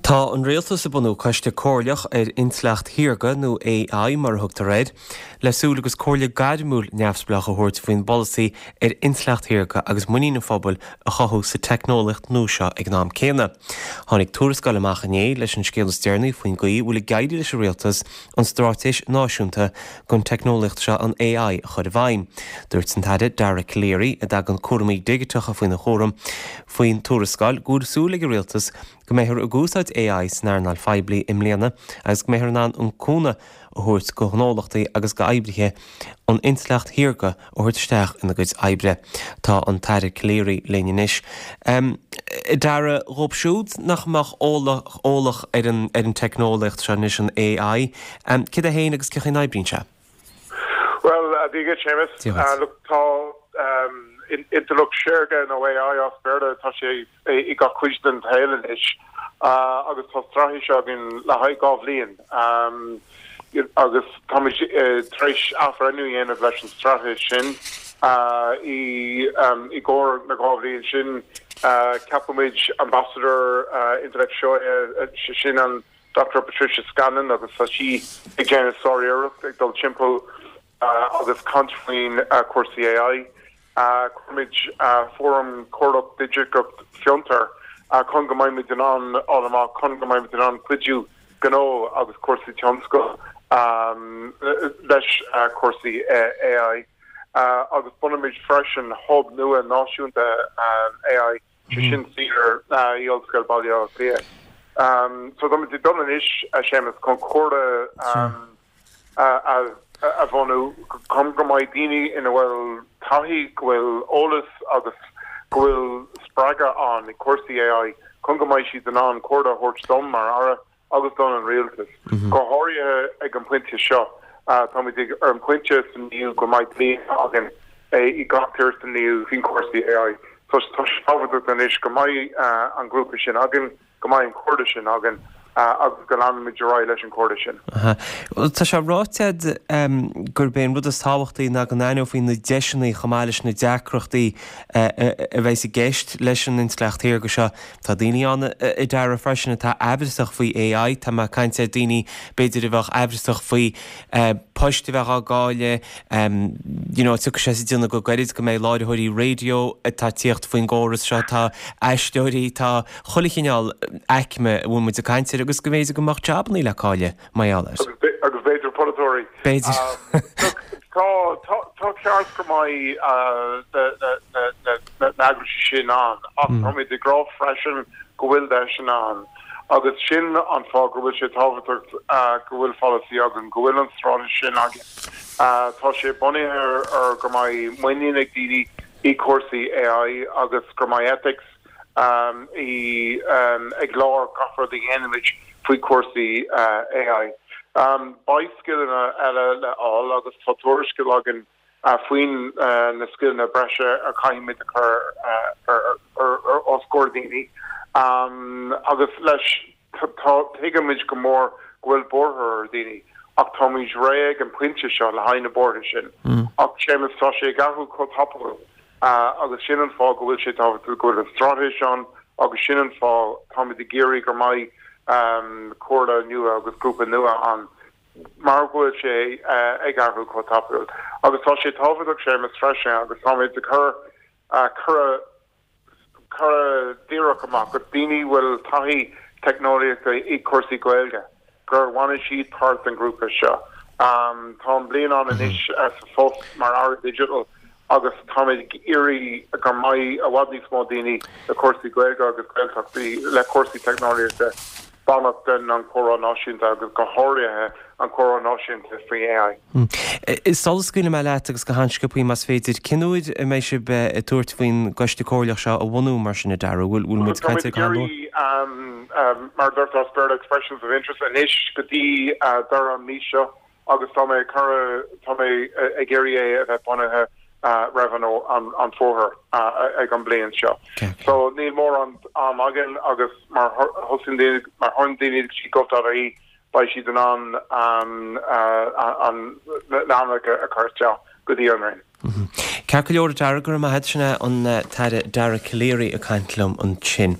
Tá an Rialtas ag bunú coiste comhairleach ar intleacht shaorga, nó AI mar a thugtar air, le súil agus comhairle gairmiúil neamhspleách a thabhairt faoin bpolasaí ar intleacht shaorga agus muinín an phobail a chothú sa teicneolaíocht nua seo ag an am céanna. Tháinig tuarascáil amach inné leis an scéal is deireanaí faoin gcaoi a bhfuil ag éirí leis an Rialtas an straitéis náisiúnta don teicneolaíocht seo, an AI, a chur i bhfeidhm. Dúirt an tAire Dara Calleary, a dtagann cúraimí digiteacha faoina chúram, faoin tuarascáil go bhfuil súil ag an Rialtas go mbeifear ag úsáid AI san earnáil phoiblí i mbliana agus go mbeifear in ann an cúnamh a thabhairt do ghnólachtaí agus d'oibrithe an intleacht shaorga a thabhairt isteach ina gcuid oibre. Tá an tAire Calleary linn anois. A Dara, dhóibh siúd nach mbeadh eolach ar an ar an teicneolaíocht seo anois, an AI, céard é féin agus cén chaoi a n-oibríonn sé? Bhuel, Dia dhuit, Séamus. Dia dhuit. Look, tá intleacht shaorga nó AI as Béarla, tá sé i gach cuid den tsaol anois agus tá straitéis againn le haghaidh 2 bhliain agus táimid tar éis athbhreithniú a dhéanamh leis an straitéis sin. I gcomhair na 2 bhliain sin ceapfaimid Ambassador Intleacht Shaorga, sin an Dr Patricia Scanlon agus tá sí ag déanamh sár-iarracht ag dul timpeall agus caint faoin cúrsaí AI. Cuirfimid Fóram Comhairleach Digiteach Fiontar chun go mbeimid in ann fháil amach chun go mbeimid in ann cuidiú gnó agus cúrsaí tionscail leis cúrsaí AI. Agus bunóimid freisin hub nua náisiúnta AI, sé sin saor i Ollscoil Baile Átha Cliath. So táimid ag dul anois, a Séamus, chun comhairle a bhunú chun go mbeidh daoine ina bhfuil taithí, go bhfuil eolas agus go bhfuil spreagadh ann i cúrsaí AI chun go mbeidh siad in ann comhairle a thabhairt dom mar Aire agus don an Rialtas. Go háirithe ag an bpointe seo, táimid ag ar an bpointe san EU go mbeidh dlí againn i gach tír san EU faoin cúrsaí AI. Tá sé tábhachtach anois go mbeidh an grúpa sin againn. go mbeidh an comhairle sin againn agus go leanfaimid ar aghaidh leis an chomhairle sin. Tá sé ráite agat gurb é an rud is tábhachtaí ná go n-aithneofaí na deiseanna chomh maith leis na deacrachtaí a bheas i gceist leis an intleacht shaorga seo. Tá daoine ann, a Dara, freisin atá aimhreasach faoi AI. Tá mé ag caint ar daoine b'fhéidir a bheadh aimhreasach faoi poist a bheadh á gcailleadh, you know, tiocfaidh sé sa déanamh go gairid go mbeidh láithreoirí raidió atá ag tíocht faoin gcóras seo, tá aisteoirí, tá chuile chineál aicme a bhfuil muid ag caint air agus go mb'fhéidir go mbeadh jabannaí le cailleadh mar gheall air. Agus b'fhéidir polaiteoirí. B'fhéidir. Look, tá, tá, tá ceart go mbeidh na, na, na eaglaisí sin ann ach táimid ag rá freisin go bhfuil deiseanna ann agus sin an fáth go bhfuil sé tábhachtach go bhfuil polasaí againn, go bhfuil an straitéis sin againn. Tá sé bunaithe ar go mbeidh muinín ag daoine i cúrsaí AI agus go mbeidh ethics i ag lár gach rud a dhéanaimid faoi chúrsaí AI. Beidh scileanna eile le fháil agus tá tuarascáil againn faoin na scileanna breise a chaithfimid a chur os comhair daoine agus leis tá tuigimid go mór go bhfuil buartha ar daoine ach táimid réidh ag an pointe seo le haghaidh na buartha sin. Ach Séamus tá sé ag athrú chomh tapúil agus sin an fáth go bhfuil sé tábhachtach go bhfuil an straitéis ann agus sin an fáth táimid ag iarraidh go mbeidh comhairle nua agus grúpa nua ann mar go bhfuil sé ag athrú chomh tapúil. Agus tá sé tábhachtach, Séamus, freisin, agus táimid ag cur cuireadh cuireadh díreach amach go daoine a bhfuil taithí teicneolaíochta i cúrsaí Gaeilge, gur bhainfidh siad páirt den ghrúpa seo. Táim bliain ann anois sa phost mar Aire Digital agus táimid ag iarraidh go mbeidh i bhfad níos mó daoine le cúrsaí Gaeilge agus Gaeltachtaí le cúrsaí teicneolaíochta bainteach den an comhrá náisiúnta agus go háirithe an comhrá náisiúnta faoi AI. Sula scaoilfidh mé leat agus go han-sciobthaí más féidir, cén uair a mbeidh sibh ag tabhairt faoin gcoiste comhairleach seo a bhunú mar sin a Dara? Bhfuil muid ag caint ar go han-luath? Mar a deirtear as Béarla expressions of interest anois go dtí deireadh an mhí seo agus tá mé ag cur, tá mé ag iarraidh é a bheith bunaithe roimh an fómhar ag an bliain seo. So níl mórán am againn agus má thosaíonn daoine, má théann daoine go dtí gov.ie beidh siad in ann an na hainmneacha a chur isteach go dtí an Roinn. Ceart go leor, a Dara, go raibh maith agat. Sin é an tAire Dara Calleary ag caint liom ansin.